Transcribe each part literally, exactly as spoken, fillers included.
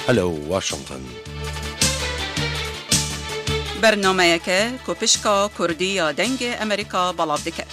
Hello Washington. Bernameyeke ku pişka Kurdî ya Dengê Amerîka belav dike.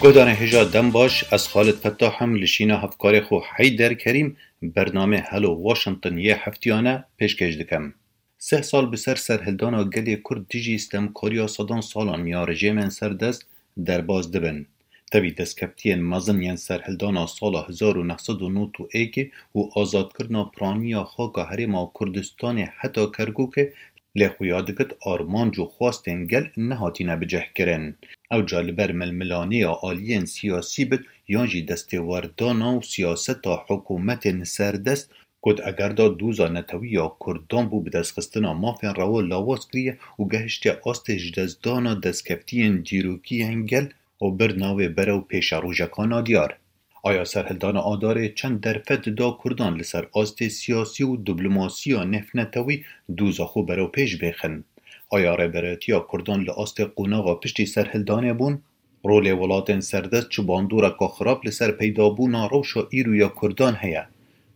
Guhdarên hêja dem baş, ez Xalid Fettah im, li şîna hevkarê xwe Heyder Kerîm, bernamê Hello Washington yê heftiyane pêşkêş dikim. Sih sal bi ser serhildana gelê Kurd dijî stemkariya sedan salan ya rejîmên serdest derbas dibin. Tevî destkeftiyên mezin yên serhildana sala hezar û neh sed û nod û yekê û azadkirina piraniya xaka Herêma Kurdistanê heta Kerkûkê lê xuya dikit armanc û xwestên gel nehatîne bicihkirin. Ew ca li ber milmilaniya aliyên siyasî bit yan jî destêwerdana û siyaseta hikûmetên serdest, ku di eger de doza netewî ya Kurdan bû bi destxistina mafên rewa lawaz kiriye û gehiştiye astê ji destdana destkeftiyên dîrokî yên gel û bir navê berew pêşerojekana diyar. Aya serhildana Adarê çend derfet da Kurdan li ser astê siyasî û diplomasiya nêvnetewî doza xwe berew pêş bêxin? Aya rêberayetiya Kurdan li astê qonaxa piştî serhildanê bûn? Rolê welatên serdest çi bandoreka xirab li ser peydabûna rewşa îro ya Kurdan heye?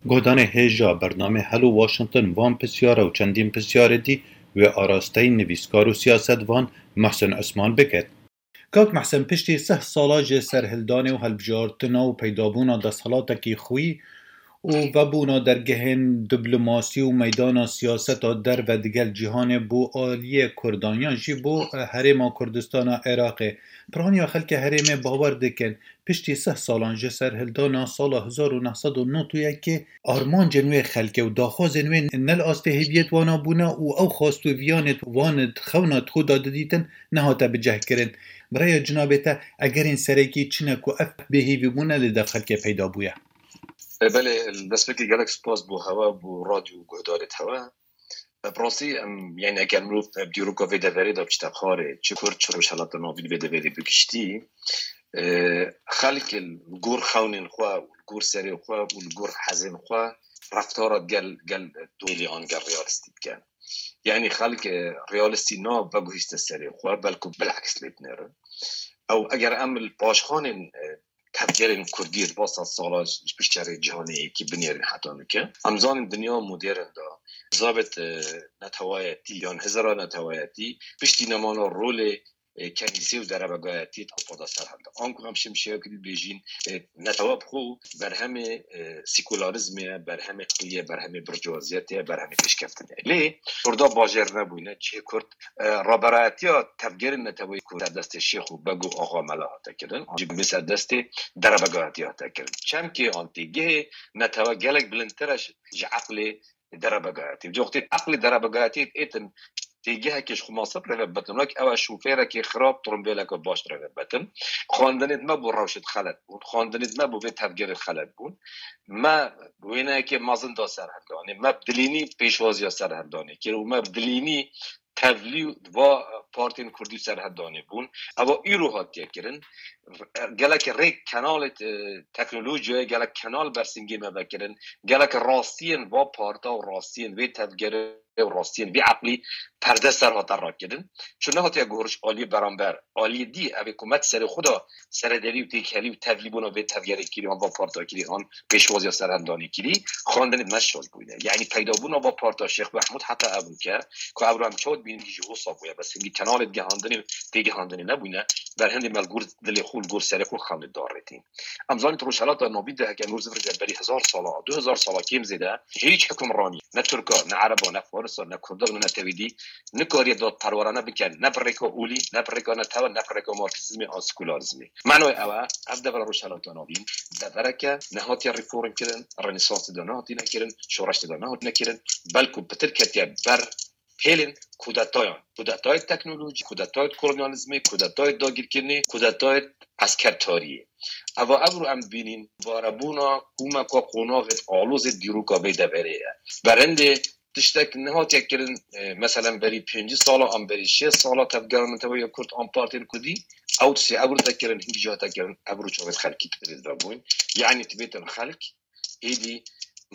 Guhdarên hêja bernamê Hello Washington van pisyar û çendîn pisyarê dî wê arasteyî nivîskar û siyasetvan Mehsen Osman bikit. Kak Mehsen, piştî sih sala ji serhildanê û hilbijartina û peydabûna desthelatekî xwî û vebûna dergehên diplomasî û meydana siyaseta derve digel cîhanê bo aliyê Kurdan yan jî bo, eh, Herêma Kurdistana Iraqê, piraniya xelkê herêmê bawer dikin, piştî sih salan ji serhildana sala hezar û neh sed û nod û yekê armancên wê xelkê û daxwazên wê ne li astê hêviyêt wana bûne û ew xwest û viyanêt wan di xewna xwe de didîtin nehate bicihkirin. Bi raya cinabê te, egerên serekî çi ne ku ev bêhêvîbûne li dev xelkê peyda bûye? E, belê, destpêkê gelek spas bo hewe, bo radyo û guhdarêt hewe. E, bi rastî em, yani eger mirov, e, bi dîroka vê deverê de biçite xwarê, çi Kurd, çi Rojhelata Navîn vê deverê bi giştî, e, xelk li gor xewnên xwe û li gor serê xwe û li gor hezên xwe reftara gel, gel dolî an gel realîstî dike. Yani xelk, e, realîstî na veguhîste serê xwe, belku bileks lê dinêrin. Ew eger em li paşxanên, e, tevgerên Kurdî di va sed sala ji pişt şerê cîhanê yekî binêrin heta nike. Em zanin dinya modern de zabet, e, netewayetî yan hizira netewayetî piştî nemana rolê, e, kenîsê û derebegayetî di Ewropa de ser hilda. Anku em şimşeya kidî bêjîn, e, netewe bi xwe berhemê, e, sekularizmê ye, berhemê qiliyê, berhemê birciyaziyetê ye, berhemê pêşkeftinê ye. Lê Kurda bajêr nebûne, cihê Kurd, e, raberayetiya tevgerên neteweyî ku ser destê şêx û beg û axa mela hate kirin, jî bi ser destê derebegayetî hate kirin. Çemkê an têgihê netewe gelek bilindtir e ji, ji eqlê derebegayetî. Ji wextê eqlê derebegayetî êtin têgihekê ji xwe masib rêve bitin. Wek ew e şofêrekê xirab, tirimbêleke baş rêve bitin. Xwendinêt me bo rewşêt xelet bûn. Xwendinêt me bo vê tevgerê xelet bûn. Me wêneyekê mezin da serhildanê. Me bi dilînî pêşwaziya serhildanê kir û me bi dilînî tevlî va partiyên Kurdî serhildanê bûn. Eva îro hatiye kirin. Gelek rêk kenalê, e, teknolojiyayê, gelek kenal bersingê me vekirin. Gelek rastiyên va parta û rastiyên vê tevgerê û rastiyên vê eqlî perde ser hate rakirin. Çi nehatiye guhoriş aliyê beramber, aliyê dî, ev ê ku me di serê xwe de seredelî û têkhelî û tevlîbûna vê tevgerê kirî an va parta kirî an pêşwaziya serhildanê kirî, xwendinê me şaz bûyne. Yanî peydabûna va parta Şêx Mehmûd heta ev ke ku ev em çawa dibînin jî wisa bûye, bes hingî kenalê gihandinê û têgihandinê nebûyne, berhindê me li gor dilê xwe, li gor serê xwe xewnê darêtîn. Em zanîn Rojhelata Navîn de heke mirov zivirê berî hezar sala, du hezar sala kêm zêde hîç hukimranî, ne Tirka, ne Ereba, ne Farisa, ne Kurda, ne netewî dî, nikariye dadperwerane bike, ne bi rêka olî, ne bi rêka netewe, ne bi rêka marksizmê an sekularizmê. Manoya ew e, ev devera Rojhelata Navîn devereke nehatiye reform kirin, renesansê de nehatîne kirin, şoreştê de nehatîne kirin, belku pitir ketiye ber pêlên kudetayan. Kudetayê teknolojî, kudetayê kolonyalizmê, kudetayê dagirkirinê, kudetayê eskertariyê. Eva evro em dibînîn, varebûna komeka qonaxê alozê dîroka vê deverê ye. Berendê tiştek nehatiye kirin, e, meselen berî pêncî sala an berî şêst sala tevgera neteweya Kurd an partiyên Kurdî, ew tiştê evro te kirin, hingî jî hate kirin, evro çavêt xelkî tibêt vebûn. Yanî tibêtin xelk, êdî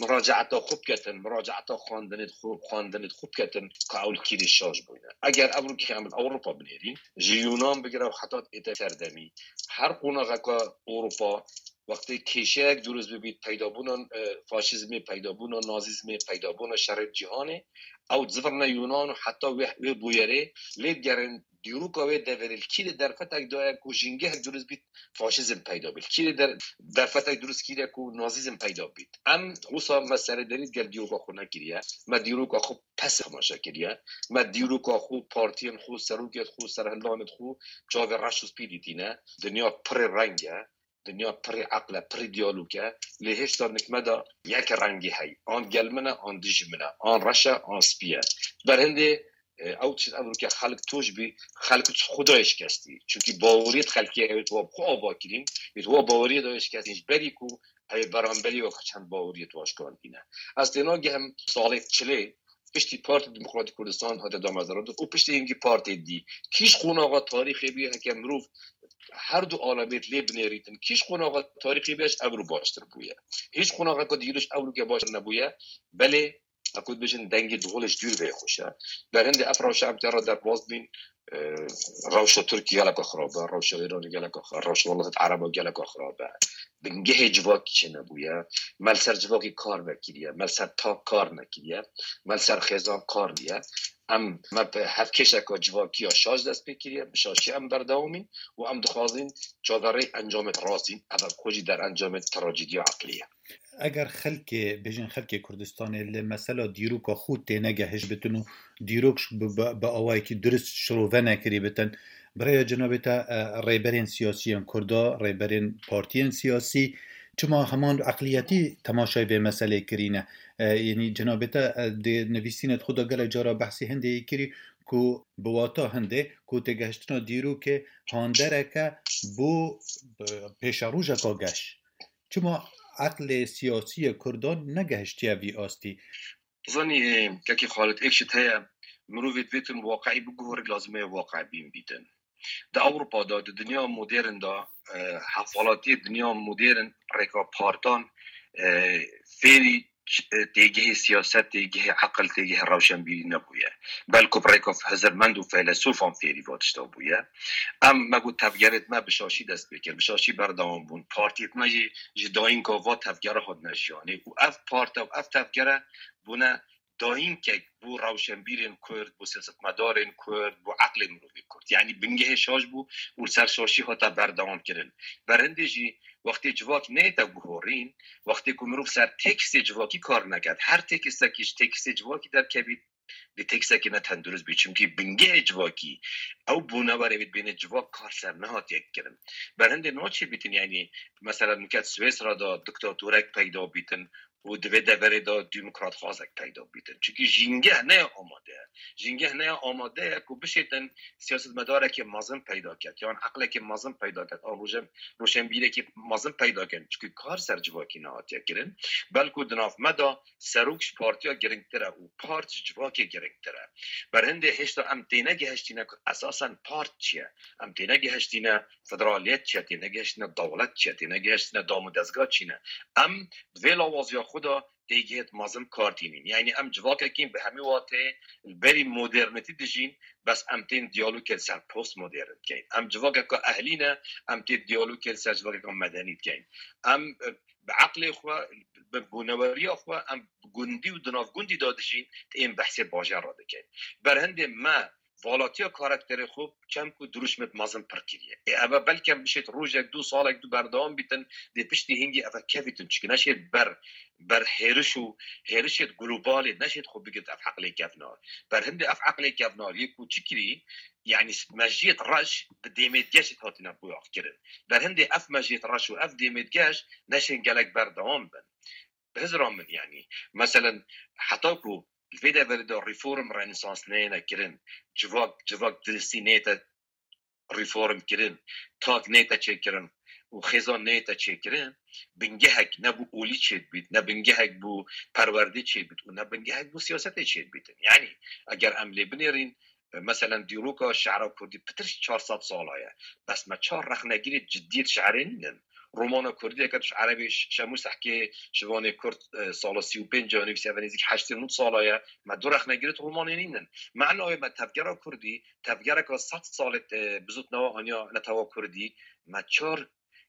muracaeta xwe biketin, muracaeta xwendinê xwe, xwendinê xwe biketin, ka ew li kîrê şaş bûne. Eger ev rûkê em li Ewropa binêrîn, ji Yunan bigire û heta ête serdemî, her qonaxeka Ewropa, wextê kêşeyek dirust bibît, peydabûna, e, faşîzmê, peydabûna nazîzmê, peydabûna şerê cîhanê, ew dizivirne Yunan û heta wê, wê bûyerê lê digerin dîroka wê deverê li kîrê derfetek daye ku jîngehek dirust bît, faşîzm peyda bît. Kîrê der-, derfetek dirust kîre ku nazîzm peyda bît. Em wisa me serederî gel dîroka xwe nekiriye. Me dîroka xwe pes temaşe kiriye. Me dîroka xwe, partiyên xwe, serokên xwe, serhildanên xwe çavê reş û spî dîtîne. Dinya pirê reng e. Dinya pirê eql e, pirê diyalog e. Lê hêşta nik me de yek rengî heye. An gel min e, an dijî min e. An reş e, an spî ye. Berhindê, e, ew tişt ev rûke xelk toj bî, xelk xwe dayê şikestî. Çunkî baweriyê xelkê ew ê tu wa bi xwe ava kirîn, ê tu wa baweriyê dayê şikestîn. Ji berî ku ew ê beramberî wek çend baweriyê tu wa şikandîne. Ez têna gehim salê çilê piştî Partî Demokratîk Kurdistan hate damezrandin û piştî hingî partê dî. Kîş qonaxa tarîxê bî heke mirov her du alemêt lê binêrîtin. Kîş qonaxa tarîxê bî ev rû baştir bûye. Hiç qonaxeka dîriş ev rûke baştir nebûye. Belê, eku dibêjin dengê dihol ji dûr vê xweş e. Berhindê ev rewşa em tê re derbas bîn, e, rewşa Tirkî geleka xirab e, rewşa Îranê geleka xirab e, rewşa welatê Ereba geleka xirab e. Bingehê civakî çênebûye. Me li ser civakî kar vekiriye, me li ser tak kar nekiriye, me li ser xêzan kar diye. Em, me bi hevkêşeka civakî ya şaş dest pê kiriye, bi şaşî em berdewamîn û em dixwazin çaverê encamê rastîn, ev xwe jî derencamê trajediya eqlî ye. Eger xelkê, bêjin xelkê Kurdistanê li mesela dîroka xwe tênegehiş bitin û dîrok bi, bi, bi awayekî dirist şirove nekirî bitin, bi rêya cenabê te, e, rêberên siyasiyên Kurda, rêberên partiyên siyasî, çima heman eqliyetî temaşayê vê meselê kirîne? E, yanî cenabê te, e, di nivîsînê xwe de gelek cara behsî hindê yê kirî ku bi wata hindê ku têgehiştina dîrokê handereke bo, e, pêşerojeka geş. Çima eqlê siyasî yê Kurdan negehiştiye vî astî? Zanî, e, kekê Xalid, êk şit heye, mirovê divêtin waqiî biguhore, lazim e waqiî bîn bîtin. Di Ewropa de, di dinya modern de, e, hevwelatiyê dinya modern rêka partan, e, fêrî, e, têgihê siyaset, têgihê eqil, têgihê rewşenbîrî nebûye. Belku bi rêka hizirmend û feylesûfan fêrî va tişta bûye. Em, me got tevgerêt me bi şaşî dest pê kir, bi şaşî berdewam bûn. Partiyêt me jî ji dayînka va tevgere hatine jiyanê û ev parte û ev tevgere bûne dayînkek bo rewşenbîrên Kurd, bo siyasetmedarên Kurd, bo eqlê mirovê Kurd. Yanî bingehê şaş bû û li ser şaşî hate berdewam kirin. Berhindê jî wextê civak neyête guhorîn, wextê ku mirov ser tekstê civakî kar neket, her tekistekî ji tekstê civakî derkevît, vê teksekê ne tendurist bî. Çimkî bingehê civakî, ew bûnewerê wê dibêne civak kar ser nehatiye kirin. Berhindê niha çê bîtin, yanî mesela nuket Swêsra de diktatorek peyda bîtin û di vê deverê de demokratxwazek peyda bîtin. Çimkî jîngeh ne ya amade ye. Jîngeh ne ya amade ye ku bişêtin siyasetmedarekê mezin peyda ket, yan eqlekê mezin peyda ket, an rojen-, roşenbîrekê mezin peyda ket. Çimkî kar ser civakî nehatiye kirin. Belku di nav me de serok ji partiya giringtir e û part ji civakê giringtir e. Berhindê hêşta em tênegihiştîne ku esasen part çi ye? Em tênegihiştîne federaliyet çi ye? Tênegihiştîne dewlet çi ye? Tênegihiştîne dam û dezga çi ne? Em di vê lawaziya xwe de têgihêt mezin kar tînîn. Yanî em civakekîn bi hemî watê li berî modernîtî dijîn, bes em tên diyalogê li ser postmodern dikeyn. Em civakeka ehlî ne, em tê diyalogê li ser civakeka medenî dikeyn. Em, e, bi eqlê xwe, bi bûneweriya xwe, em bi gundî û di nav gundî de dijîn, ên behsê bajar re dikin. Berhindê me valatiya karakterê xwe çem ku dirûşmêt mezin pir kiriye. Ê, eve belkem bişêt rojek, du salek, du berdewam bîtin, dê piştî hingî eve kevîtin. Çiki neşêt ber, ber hêriş û hêrişêt globalê neşêt xwe bigit ev eqlê kevnar. Berhindê ev eqlê kevnar yê ku çi kirî, yanî mejiyêt reş bi dêmêtgeşêt hatine boyax kirin. Berhindê ev mejiyêt reş û ev dêmêtgeş neşên gelek berdewam bin. Bi hizra min, yanî, meselen, heta ku li vê deverê de reform, renesans neyêne kirin, civak, civak diristî neyête reform kirin, tak neyête çêkirin û xêzan neyête çêkirin, bingehek ne bo olî çêdibît, ne bingehek bo perwerdê çêdibît û ne bingehek bo siyasetê çêdibîtin. Yanî, eger em lê binêrîn, e, meselen, dîroka şi'ra kurdî pitir ji çar sed sala ye. Bes me çar rexnegirê ciddiyê di şi'rê nînin. Romana kurdî, eke tu ji erebê ş-, Şemûs Sehkê ji vanê kurd, e, sala sî û pênc ya nivîsî, ev nêzîk heştê nod sala ye. Me du rexne girt, romanê nînin. Mena wê me tevgera kurdî, tevgereka sed salê, e, bizût newa aniya netewa kurdî, me çar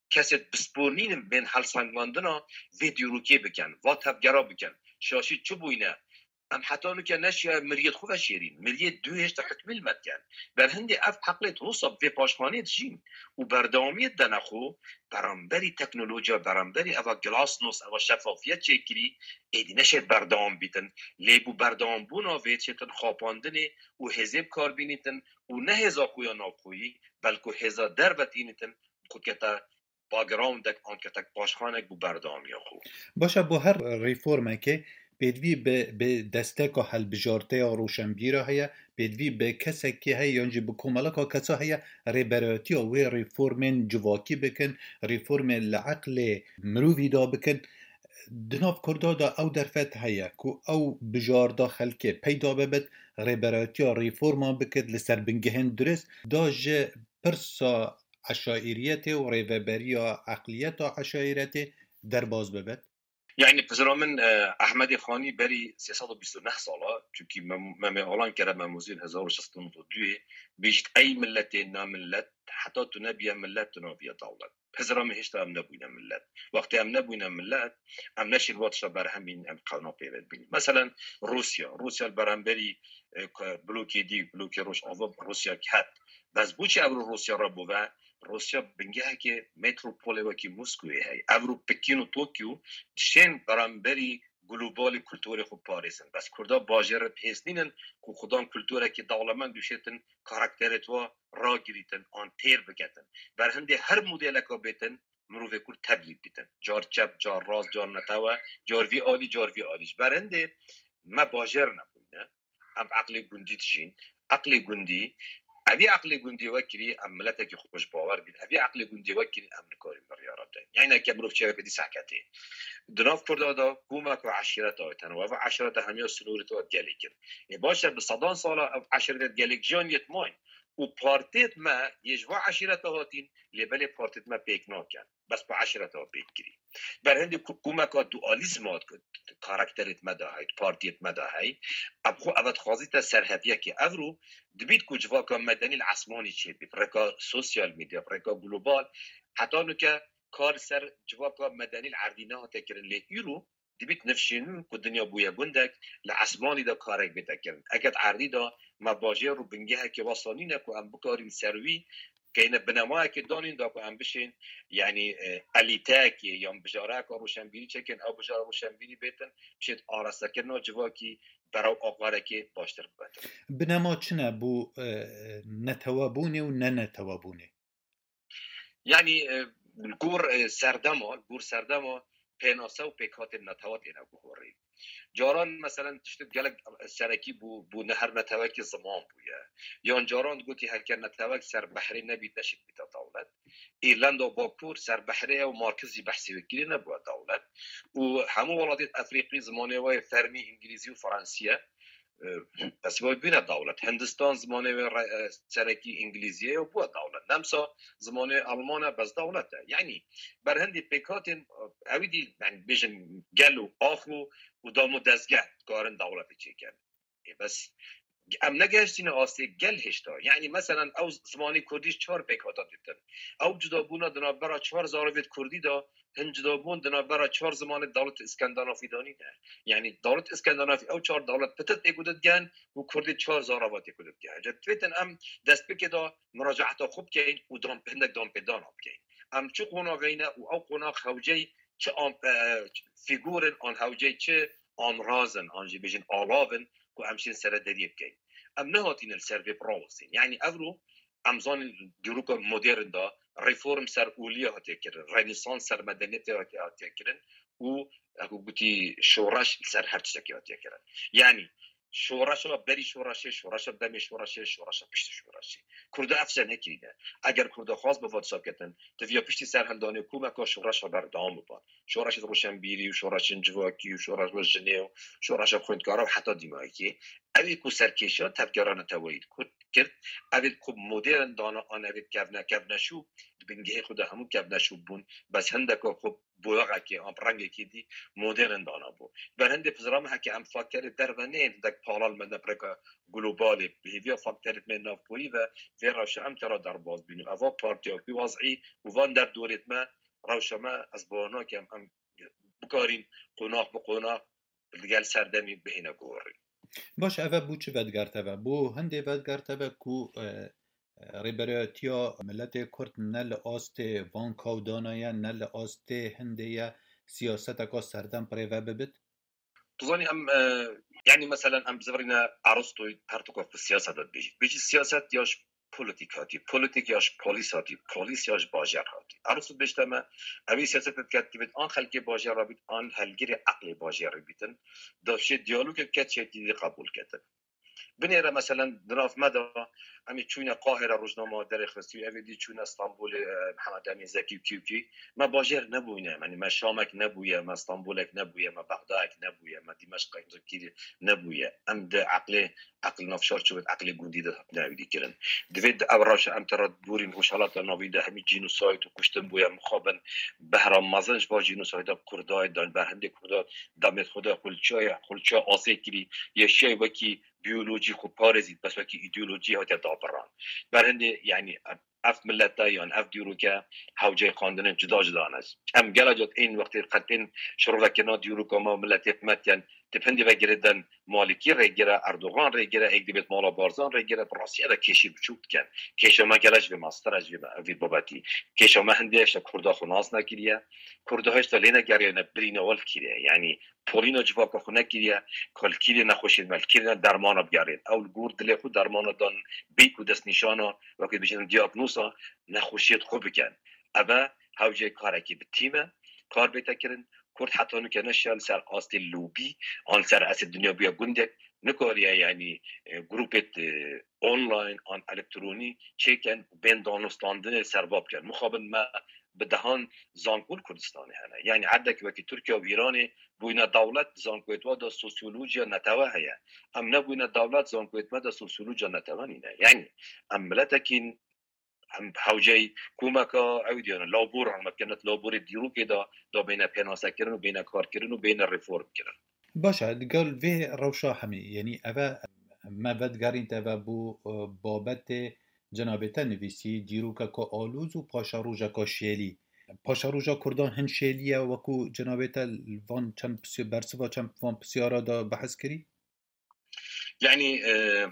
kesê bispor nînin bên helsengandina vê dîrokê bikin, va tevgera bikin. Şaşî çi bûyne? Em heta nuke neşiya miriyê xwe veşêrîn. Miriyê dû hêşta hukmî li me dikin. Ber hindê ev heqlê wisa vê paşxanê dijîn û berdewamiyê dene xwe, beramberî teknolojiya, beramberî eva glasnost, eva şefafiyet çêkirî, êdî neşê berdewam bîtin. Lê bû berdewambûna vê çêtin xapandinê û hêzê bi kar bînîtin û ne hêza xwe ya navxweyî, belku hêza derve tînîtin, xwe kete backgroundek an ketek paşxanek bû berdewamiya xwe. Baş e, bo her reformekê pêdivî bi, bi desteka helbijarteya roşenbîra heye, pêdivî bi kesekê heye yan jî bi komeleka kesa heye, rêberayetiya wê reformên civakî bikin, reformên li eqlê mirovî de bikin. Di nav Kurda de ew derfet heye ku ew bijarda xelkê peyda bibit, rêberayetiya reforma bikit, li ser bingehên dirist, da ji pirsa eşaîriyetê û rêveberiya eqliyeta eşaîretê derbas bibit? Yani pizra min, e, Ehmedê Xanî berî sê sed û bîst û neh sala, çunkî Mem-, Memê Alan kere Memûzîn hezar û şeş sed û nod û duyê, bêjît ey milletê namillet, heta tu nebiye millet, tu nabiye dewlet. Pizra min hêşta em nebûyne millet. Wextê em nebûyne millet, em neşên wa tişta berhem bînin, em qewna pê ve bînin. Meselen, Rûsya. Rûsya li beramberî, e, ku blokê dî, blokê Rojava, Rûsya ket. Bes bo çi evro Rûsya re bû ve? Rûsya bingehekê metropolê wekî Moskowê heye. Evro Pekîn û Tokyo dişên beramberî globalê kulturê xwe parêzin. Bes Kurda bajêr re bi hêz nînin ku xudan kulturekî dewlemend dûşêtin, karakterê twa ragirîtin an têr biketin. Ber hindê her modeleka bêtin, mirovê Kurd teblîd bîtin. Car çep, car rast, car netewe, car vî alî, car vî alî. Ji ber hindê me bajêr nebûne. Em eqlê gundî dijîn. Eqlê gundî, evî eqlê gundî wekirî em miletekî xweş bawer bîn. Evî eqlê gundî wekirî em nikarîn biryara bidin. Yani ke mirov çêveke dî seketê. Di nav Kurda de komeka eşîreta heye tenê. Ev eşîreta hemiya sînorê te gelê kir. Ê baş e, bi sedan sala ev eşîreta gelek jiyan yê dimayîn. Û partiyêt me yê ji va eşîreta hatîn, lê belê partiyêt me pêk nakin. Bes bi eşîreta pêk kirî. Ber hindê ku komeka dualîzma karakterêt me de hey, partiyêt me de hey, ev xwe eve dixwazîte serheviyekê. Evro dibît ku civaka medenî li esmanî çêbî, bi rêka sosyal medya, bi rêka global, heta nuke kar ser civaka medenî li erdî nehate kirin. Lê îro dibît nifşên nû ku dinya bûye gundek, li esmanî de karek bête kirin. Eke di erdî de me bajêr û bingehekê wesa nîne ku em bikarîn ser wî keyne binemayekê danîn da ku em bişên, yani, e, elîteyekê yan bijareyeka roşenbîrî çêkin, ew bijara roşenbîrî bêtin, bişêt arastekirina civakî berew aqarekê baştir bibetin. Binema çi ne bo, e, netewebûnê û nenetewebûnê? Yani, e, li gor, e, serdema, li gor serdema pênase û pêkhatên netewa têne guhorî. Caran, meselen, tiştek gelek serekî bû, bû ne her netewekî ziman bûye. Yan caran digotî, heke netewek ser behrê nebît, neşît bîte dewlet. Îrlanda Bakur ser behrê ye û Markizî behsê wê kirî, nebûye dewlet. Û hemû welatêt Efrîqî zimanê wê fermî îngilîzî û fransî ye. E, ez wê bîne dewlet. Hindistan zimanê wê re-, e, serekî îngilîzî ye û bûye dewlet. Nemsa zimanê Alman e, bes dewlet e. Yani, ber hindê pêkhatên, e, ewî dî, yani, bêjin gel û ax û, û dam û dezgeh dikarin dewletê çêkin. Ê, bes em negehiştîne astê gel hêşta. Yani, meselen, ew zimanê kurdî çar pêkhata dîtin. Ew cudabûna di navbera çar zaravêt kurdî de, hin cudabûn di navbera çar zimanê dewlet Îskandinafî de nîne. Yani, dewlet Îskandinafî, ew çar dewlet pitit ê ku didigen û kurdê çar zarava tê ku didigen. Ca divêtin em destpêkê de muracaeta xwe bikeyn û dan, hindek danpêdana bikeyn. Em çi qonaxeyne û ew qonax hewcey çi am-, e, fîgûr in an hewcey çi amraz in an jî bêjin alav in ku em şên serederiyê bikeyn. Em nehatîne li ser vê birawestîn. Yani evro em zanîn dîroka modern de reform ser olî hatiye kirin, renesans ser medeniyetê hatiye, hatiye kirin û, wek gotî, şoreş li ser her tiştekî hatiye kirin. Yani şoreşa berî şoreşê, şoreşa demê şoreşê, şoreşa piştî şoreşê. Kurda ev tişte nekirîne. Eger Kurda xwest bi va tişta bikin, diviya piştî serhildanê komeka şoreşa berdewam biba. Şoreşa roşenbîrî û şoreşên civakî û şoreşa jinê û şoreşa xwendkara û heta dîmayekê. Ew ê ku serkêşiya tevgera neteweyî di Kurd kir. Ev ê ku modern dana an ev ê kevne, kevneşû, di bingehê xwe de hemû kevneşû bûn. Bes hindeka xwe boyaxekê an rengekê dî modern dana bû. Ber hindê pizra me heke em fakterê derve neyên hindek palal me ne pireka globalê. Bi hêviya fakterê me navkoyî ve vê rewşa em tera derbaz bîn û eva partiya wî wazî û van derdorêt me rewşa me ez bawer nakim em bikarîn qonax bi qonax li gel serdemî bihêne gorî. Baş, eve bû çi vedigerte ve? Bû hindê vedigerte ve ku, e, e, rêberayetiya miletê Kurd ne li astê van kawdana ye, ne li astê hindê ye, siyaseteka serdem bi rê ve bibit? Tu zanî em, e, yanî meselen em bizivirîne Aristoyî her tu ku siyaseta dibêjî. Dibêjî siyaset ya ji polîtîk hatî, polîtîk ya ji polîs hatî, polîs ya ji bajêr hatî. Aristo dibêjte me, ew ê siyaset diketî bit, an xelkê bajêr re bît, an helgirê eqlê bajêr re bîtin. Da şê diyalogek ket, şê dî qebûl ketin. Binêre meselen di nav me de em ê çûyne Qahire rojnama derêxistî û ev ê dî çûyne Stenbolê, e, Mihemed Emîn Zekî û kî û kî. Me bajêr nebûyne, yanî me Şamek nebûye, me Stenbolek nebûye, me Bexdayek nebûye, me Dîmeşqek kî nebûye. Em di eqlê, eql navşar çi bit, eqlê gundî de hatine ewî dî kirin. Divê di ev rewşa em tera borîn Rojhelata Navîn de hemî cînosayd û kuştin bûye, mixabin behra mezin ji va cînosayda Kurda, dan ber hindê Kurda, demê xwe de xulçaya, xulçaya asê kirî, yeşiyay wekî biyolojî xwe parêzît, bes wekî îdeolojî hatiye dabiran. Ber hindê, yanî, ev milete yan ev dîroke hewceyê xwendinên cuda cuda ne. Em gela cat ên wextê qetên şirovekirina dîroka me û miletê me dikin, di pindê ve girêdin Malikî rêgire, Erdogan rêgire, êk dibêt mala Barzan rêgire, bi rastî ev kêşî biçûk dikin. Kêşa me gela ji vê mastir e, ji vê, vê babetî. Kêşa me hindê hişta Kurda xwe nas nekiriye. Kurda hişta lê negeriyane birîne welkîrê. Yanî polîna civaka xwe nekiriye, ku li kîrê nexweşiyên me, li kîrê dermana bigerên. Ew li gor dilê xwe dermana dan bê ku destnîşana, wekî dibêjin diyagnoza nexweşiyê xwe bikin. Eve hewceyê karekî bi tîm e, kar bête kirin. Kurd heta nûke neşiya li ser astê lobî, an li ser astê dinya bûye gundek, nikariye, yanî, e, grûpê, e, online an elektronî çêkin û bên danûstandinê serva bikin. Mixabin me bi dehan zanko li Kurdistanê hene. Yanî erdek wekî Tirkiye û Îranê bûyne dewlet, zankoyê we de sosyolojiya netewe heye. Em nebûyne dewlet, zankoyê me de sosyolojiya netewe nîne. Yanî em miletekî em hewceyî komeka ew diyane, labor, em bikene laborê dîrokê de, da bêne pênasekirin û bêne karkirin û bêne reformkirin. Baş e, digel vê rewşa hemî, yanî eve me vedigerîn te ve bû, e, babetê cenabê te nivîsî, dîrokeka alûz û paşerojeka şêlî. Paşeroja Kurdan hin şêlî ye, wekû cenabê te li van çend pisy-, bersiva çend van pisyara de behs kirî? Yanî, e,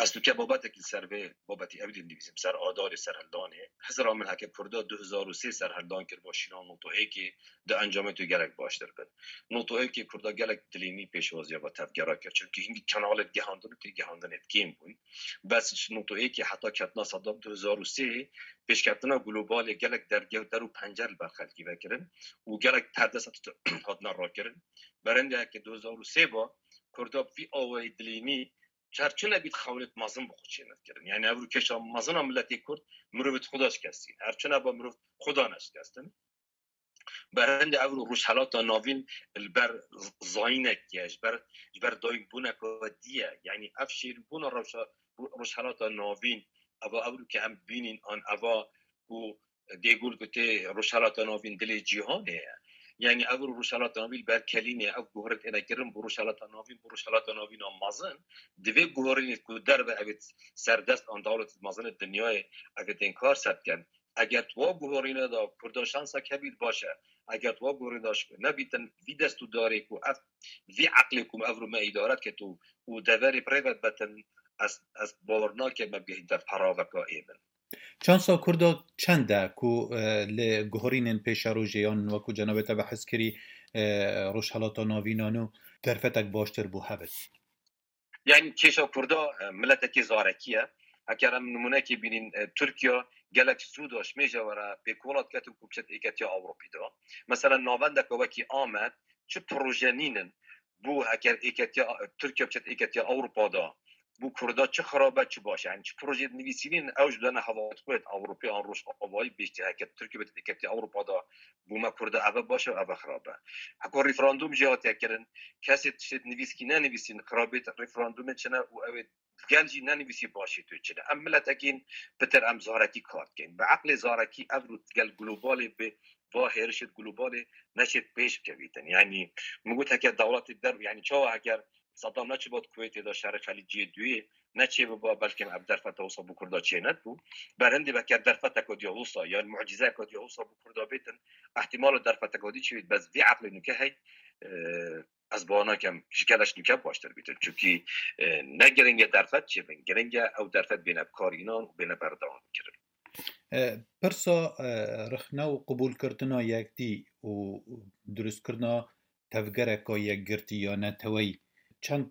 ez tu ke babetekî ser vê babetî ev din divîsim, ser adarê serhildanê. Hizra min heke Kurda du hezar û sê serhildan kir bo şîna notayekê, di encamê tu gelek baştir bin. Notayekê Kurda gelek dilênî pêşwaziya ve tevgera kir. Çimkî hingî kanalê gihandin û têgihandinê kêm bûn. Bes ji notayekê heta ketina Sedam du hezar û sê pêşketina globalê gelek derge der û pencer li ber xelkî vekirin û gelek perdesa hatine rakirin. Berendê heke du hezar û sê ba Kurda bi vî awayî dilînî her çi nebît xewlêt mezin bi xwe çênivkirin. Yanî ev ru kêşa mezin a miletê Kurd mirovêt xwe da şikestîn. Her çi neba mirov xwe da neşikestin. Berendê ev ru Rojhelata Navîn li ber zayînek ye, ji ber, ji ber dayikbûneke dî ye. Yanî ev şêrîbûna rewşa Rojhelata Navîn, eva ev ru ke em bînîn an eva ku Dêgul gotê Rojhelata Navîn dilê cîhanê ye. Yanî ev ru Rojhelata Navîn li ber kelînê ev guherîn têne kirin bo Rojhelata Navîn, bo Rojhelata Navîn a mezin. Divê guherînê ku derve evê serdest an dewlet mezin dinyayê evê tên kar ser bikin. Eger tu wa guherîne de Kurda şansek hebît baş e. Eger tu wa guherîne de nebîtin vî dest û darê ku ev vî eqlê ku ev ru me îdare ket û, û deverê bi rê ve betin, ez, ez bawer nakim me bigihîn te peraveka êmin. Çansa Kurda çend e ku, e, li guherînên pêşerojê yan wekû cenabê te behs kirî, e, Rojhelata Navînan û derfetek baştir bû hebit? Yanî kêşa Kurda, e, miletekî zarekî ye. Heker em nimûnekê bînîn, e, Tirkiye gelek zû da ji mêja we re pêkwelat ketin ku biçet êketiya Ewropî de. Mesela navendeke wekî Amed çi proje nînin bû heker êketiya, Tirkiye biçet êketiya Ewropa de. Bû Kurda çi xirab e, çi baş e. Yanî çi projeyê dinivîsînin, ew ji dene hevalêt xwe yêt Ewropî an Rojavayî bêjtî heke Tirkiye bêt êketî Ewropa da bû me Kurda eve baş e, eve xirab e. Heko referandum jî hatiye kirin, kesê tiştê dinivîskî nenivîsîn, xirabêt referandumê çi ne û ew ê gel jî nenivîsî başê tu çi ne. Em miletekîn pitir em zarekî kar dikin. Bi eqlê zarekî ev rû gel globalê bi va hêrişê globalê neçêt pêş bikevîtin. Yanî min got heke dewletê der, yanî çawa heger Saddam neçiba di Kuwêtê de şerê Xelîciyê duyê neçê biba, belkî ev derfeta wisa bi Kurda çê nedibû. Berhindê veke derfeteka diya wisa yan mucîzeyeka diya wisa bi Kurda bêtin, ihtimal o derfeteka dî çi bêt, bes vî eqlê nûke hey, e, ez bawer nakem ji geleş nûke baştir bîtin. Çunkî, e, ne giring e derfet çêbin, giring e ew derfet bêne bikarînan û bêne berdewam kirin. E, pirsa, e, rixne û qibûlkirtina yekdî û dirustkirina tevgereka yekgirtî ya neteweyî çend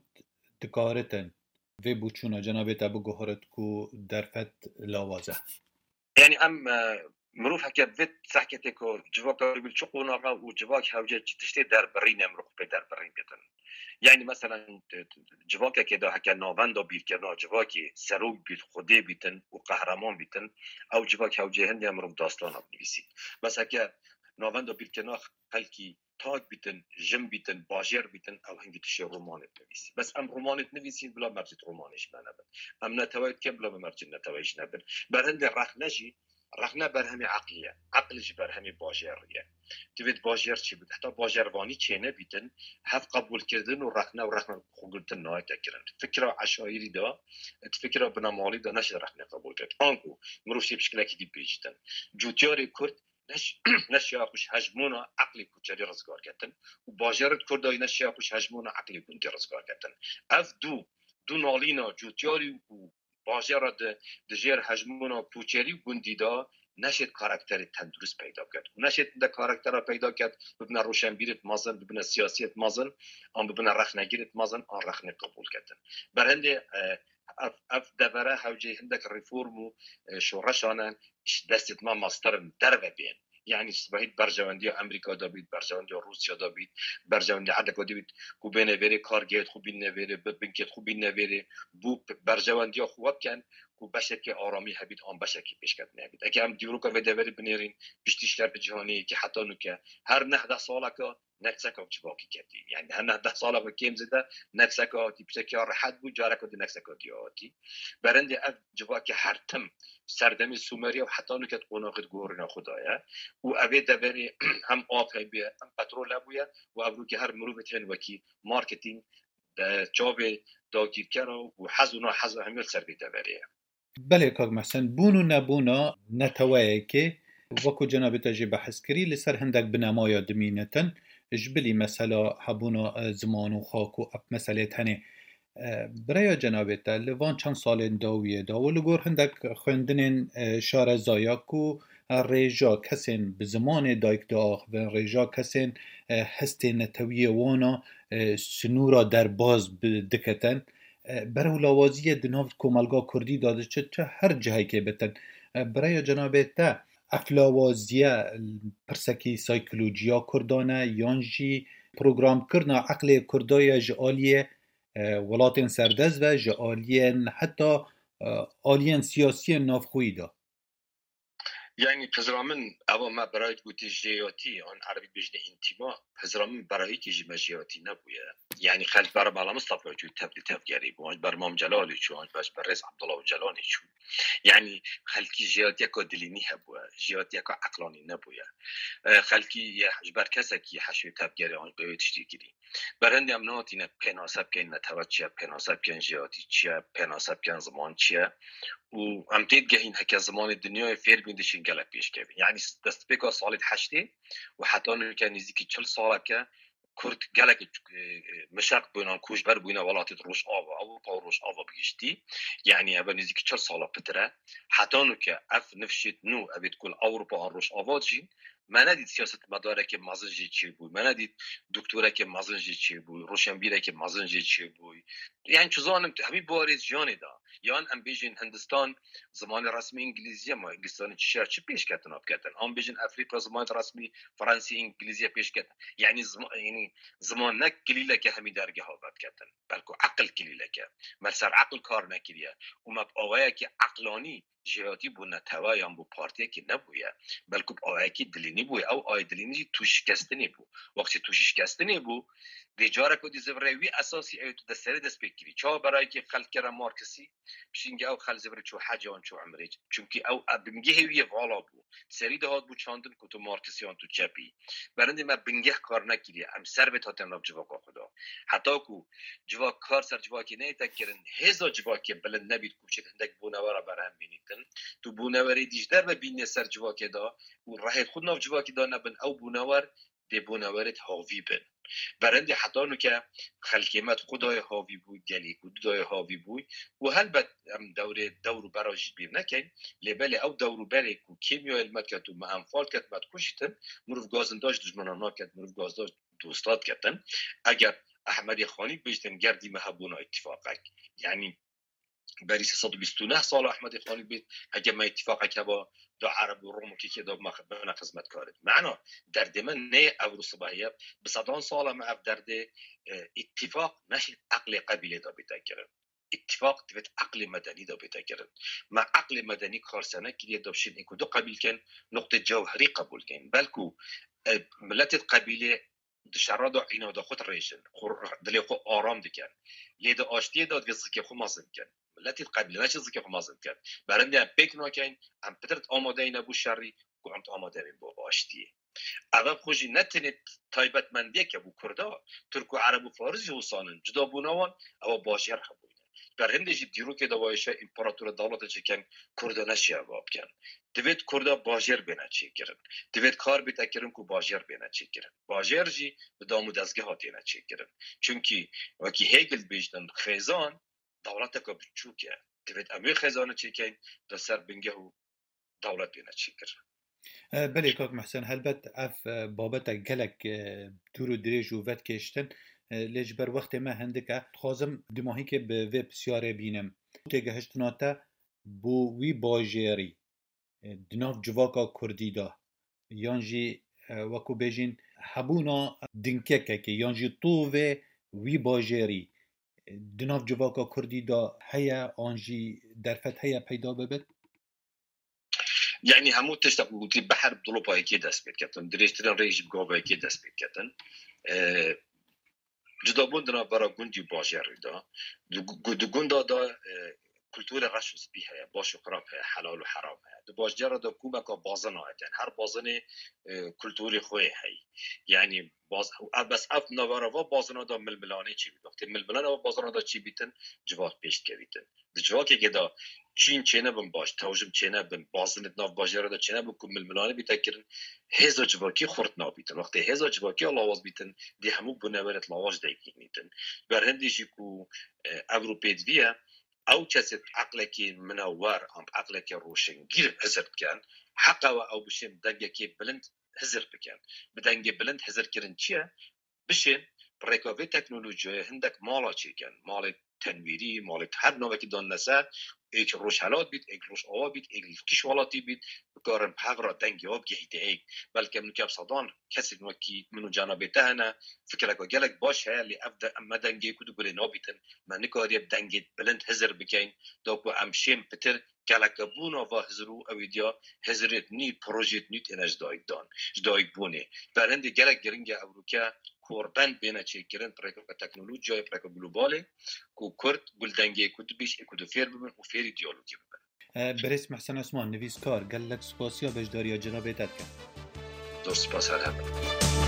dikaritin vê boçûna cenabê te biguhirit ku derfet lawaz e? Yanî em, e, mirov heke vê sehketê ku civaka wî çi qonaxa û civak hewce çi tiştê derbirîne, mirov pê derbirîn bitin. Yanî meselen, t-, t-, civakekê de heke navenda bîrkirina civakê serok bît, xwedê bîtin û qehreman bîtin, ew civak hewce hindê mirov dastana binivîsî. Bes heke navenda bîrkirina xelkî tak bîtin, jin bîtin, bajêr bîtin, ew hingî tişê romanê dinivîsî. Bes em romanê dinivîsîn bila mercê romanê ji me nebin. Em neteweyê dikin bila mercê neteweyê ji nebin. Berhindê rexne jî, rexne berhemê eqlî ye. Eql ji berhemê bajêrî ye. Divêt bajêr çi bit? Heta bajêrvanî çênebîtin, hev qebûlkirdin û rexne û rexne xwegirtin nayête kirin. Fikra eşayirî de, fikra binemalî de neşe rexne qebûl kirin. Anku mirov şê pişkilekî dî bêjîtin. Cûtyarê Kurd neş-, neşiya xwe ji hejmûna eqlê koçerî rizgar ketin û bajarê Kurda jî neşiya xwe ji hejmûna eqlê gundî rizgar ketin. Ev du, du nalîna cûtyarî û bajara di, di jêr hejmûna koçerî û gundî de neşêt karakterê tendurist peyda biket. Û neşêt de karaktera peyda ket, bibine roşenbîrêt mezin, bibine siyasiyêt mezin, an bibine rexnegirêt mezin, an rexnê qebûl ketin. Berhindê, e, ev, ev devere hewceyî hindek reform û, e, şoreşan e, ji destê me master in derve bên. Yanî sibehî berjewendiya Amerîka de bît, berjewendiya Rûsya de bît, berjewendiya herdeka de bît, ku bêne vêrê kargehêt xwe bînne vêrê, bi binkêt xwe bînne vêrê, bû p-, berjewendiya xwe we bikin, ku beşekê aramî hebît, an beşekê pêşketinê hebît. Eke em dîroka vê deverê binêrîn, piştî şerê cîhanê yekê heta nûke, her neh deh saleke, nekseka civakî ketî. Yanî her neh deh sala ku kêm zêde nekseka hatî, pişteke ya rehet bû, careka di nekseka diya hatî. Berendê ev civakê her tim serdemê Sumeriya û heta nûke di qonaxê di gorîna xwe de ye. Û evê deverê hem av hebûye, hem petrol hebûye û ev rûkê her mirovê tên wekî marketing, de çavê dagîrkera û hez û nahez û hemî li ser vê deverê ye. Belê kak Mehsen, bûn û nebûna neteweyekê, wekû cenabê te jê behs kirî, li ser hindek binemaya dimînitin, ji bilî mesela hebûna, e, ziman û xak û ev meselê tenê. E, bi raya cenabê te, li van çend salên dawiyê de û li gor hindek xwendinên, e, şarezaya ku, e, rêja kesên bi zimanê dayik diaxivin, rêja kesên, e, hestê netewiyê wana, e, sinûra derbaz bi-, diketin, e, berewlawaziyê di nav komelga kurdî de diçe çi her cihekê bitin. E, bi raya cenabê te, ev lawaziye pirsekî saykolojiya kurdan e, yan jî programkirina eqlê kurda ye ji aliyê, e, welatên serdest ve, ji aliyên heta, e, aliyên siyasiyên navxweyî de? Yanî pizra min, eva me berayî gotî jêyatî, an erebî bêjine întima, pizra min berayîkî ji me jêyatî nebûye. Yanî xelk ber Mela Mistefa çû tevlî tevgerî bû, an ber Mam Celalî çû, an ber, ber Rêz Abdullah Ocalanî çû. Yanî xelkî jêyatiyeka dilînî hebûye, jêyatiyeka eqlanî nebûye. E, xelkî ye, ji ber kesekî heşê tevgerê an bi wê tiştî kirî. Berhindê em nehatîne pênase bikeyn netewe çi ye, pênase bikeyn jêhatî çi ye, pênase bikeyn ziman çi ye. Û em tê digehîn heke zimanê dinyayê fêr bîn dişên gelek pêşkevîn. Yanî destpêka salê heştê û heta nûke nêzîkî çil saleke Kurd gelek, e, e, mişeq bûnan, koçber bûne welatê Rojava, Ewropa û Rojava bi giştî. Yanî ev nêzîkî çil sala pitir e. Heta nûke ev nifşêt nû, evêt ku li Ewropa an Rojava dijîn, me nedît siyasetmedarekê mezin jê çêbû, me nedît doktorekê mezin jê çêbû, roşenbîrekê mezin jê çêbû. Yanî çi zanim, hemî buwarê jiyanê de. Yan em bêjin Hindistan zimanê resmî îngilîzî ye, ma Hindistana çi şer, çi pêşketina biketin? Em bêjin Efrîka zimanê resmî fransî, îngilîzî ye pêşketin. Yanî zima-, yanî ziman ne kilîleke hemî dergeha vediketin. Belku eqil kilîleke. Me li ser eqil kar nekiriye. Û me bi awayekî eqlanî jêhatî bo netewe yan bo partiyekê nebûye. Belku bi awayekî dilînî bûye. Ew ayê dilînî jî tûşikestinê bû. Wextê tûşikestinê bû, Dê carek ku dî zivirê wî esasî ew tu de serê dest pê kirî. Çawa berayekî xelk kere Marksî, pişingî ew xel zivirê çû hecê wan çû Umrê. Çunkî ew, ew bingehê wî yê vala bû. Serî de hat bû çandin ku tu Marksî yan tu çepî. Berindê me bingeh kar nekiriye. Em ser vê hate nav civaka xwe da. Heta ku civak kar ser civakê neyête kirin, hêza civakê bilind nebît ku çêt hindek bûnewera berhem bînîtin. Tu bûnewerê dî ji derve bînê ser civakê da û rehêt xwe nav civakê da nebin, ew bûnewer dê bûnewerêt havî bin. Berendê heta nuke xelkê me xwe dayê havî bû, gelî ku dayê havî bû û helbet em dewrê dewr û bera jî bîr nekeyn, lê belê ew dewr û berê ku kêmiyayê li me ket û me enfal ket, me dikuşîtin, mirov gazinda ji dijmana naket, mirov gazinda ji dosta diketin. Eger Ehmedê Xanî bêjtin ger dî me hebûna îtîfaqek. Yanî berî sê sed û bîst û neh sala Ehmedê Xanî bêt, heke me îtîfaqek heba da Ereb û Rom û kekê da me bine xizmetkarê. Mena derdê me ne ev û sibehî ye. Bi sedan sala me ev derdê, e, îtîfaq neşî eqlê qebîlê da bête kirin. Îtîfaq divêt eqlê medenî da bête kirin. Me eqlê medenî kar se nekiriye da bişên êk û du qebîl ken, noqtê cewherî qebûl ken. Belku, e, miletê qebîlê di şerra de îna de xwe dirêjin, xwe, dilê xwe aram dikin. Lê di aştiyê de divê zikê xwe mezin kin. Miletê qebîle neçe zikê xwe mezin kin. Berindê em pêk nakeyn, em pitir amadeyî ne bo şerî, ku em amade bin bo aştiyê. Ev xwe jî ne tenê taybetmendiyeke bo Kurda, Tirk û Ereb û Faris jî wisan in. Cudabûna wan, ewa bajêr hebûne. Ber hindê jî dîrokê de wayşe împaratora dewlete çêken Kurda neşiya va bikin. Divêt Kurda bajêr bêne çêkirin. Divêt kar bête kirin ku bajêr bêne çêkirin. Bajêr jî bi dam û dezgeha têne çêkirin. Çunkî wekî Hegel bêjtin, xêzan dewleteke biçûk e. Divêt em wê xêzanê çêkeyn, da ser bingeh û dewlet bêne çêkirin. E, belê kak Mehsen, helbet ev, e, babetek gelek, e, dûr û dirêj û vedkêştin, e, lê ji ber wextê me hindik e. Dixwazim dumahîkê bi vê pisyarê bînim. Têgehiştina te bo wî bajêrî, e, di nav civaka Kurdî de, yan jî, e, wekû bêjin, hebûna dinkekekê, yan jî tovê wî bajêrî, e, di nav civaka Kurdî de heye, an jî derfet heye peyda bibit? Yanî hemû tiştek ku gotî, behr bi dilopa yekê dest pê diketin, dirêjtirîn rê jî bi gava yekê dest pê diketin. E, Cudabûn di navbera gundî û bajêrî de. Di gu-, di gunda de, e, kulturê reş û spî heye, baş û xirab heye, helal û heram heye. Di bajêra de kûmeka bazina heye. Her bazinê, e, kulturê xwe yê heye. Yanî baz-, ev bes ev navbera va bazina de milmilanê çêbît. Wextê milmilan ev bazina de çêbîtin, civak pêş dikevîtin. Di civakekê de çîn çênebin baş, tewjim çênebin, bazinê di nav bajêra de çênebin ku milmilanê bîte kirin, hêza civakî xurt nabîtin. Wextê hêza civakî lawaz bîtin, dê hemû bûnewerêt lawaz deyînîtin. Berhindê jî ku, e, ev rû pêdivî ye, ew kesê eqlekê minewer, an eqlekê roşengîr hizir dikin, heqa we ew bişên dengekê bilind hizir bikin. Bi dengê bilind hizir kirin çi ye? Bişên bi rêka vê teknolojiyayê hindek mala çêkin. Malê tenwîrî, malê her navekî danine ser, êk rojhelat bît, êk rojava bît, êk li kîş welatî bît, bikarin bi hev re dengê we bigihîte êk. Belke min û kep sedan kesên wekî min û cenabê te hene, fikreke gelek baş heye, lê ev de, em me dengê ku di gulê nabîtin, me nikariye bi dengê bilind hizir bikeyn, da ku em şên pitir gelekebûna va hizir û ew ê diya hizirêt nî, projêt nî têne ji dayik dan, ji dayik bûnê. Berhindê gelek giring e ewroke korbend bêne çêkirin, pireka teknolojiyayê, pireka globalê, ku Kurd gul dengê ku dibîş ê ku di fêr bibin û fêrî diyalogî bibin. E, Birêz Mehsen Osman, nivîskar, gelek spasiya beşdariya cenabê te dikim. Zor spas, her hebin.